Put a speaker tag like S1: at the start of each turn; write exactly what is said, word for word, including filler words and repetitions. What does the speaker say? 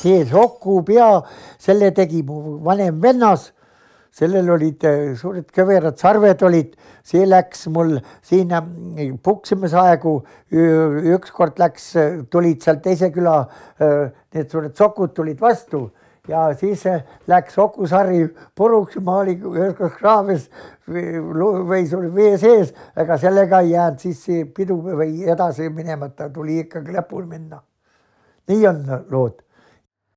S1: see soku pea, selle tegi mu vanem vennas, sellel olid suured kõverad sarved olid, see läks mul siin puksimisaegu, ükskord läks, tulid seal teise küla, need suured sokud tulid vastu ja siis läks sokusari puruks, ma olin üheskoos kraavis või sul vee sees, aga sellega ei jäänud siis pidu või edasi minemata, tuli ikkagi lõpul minna. Nii on lood.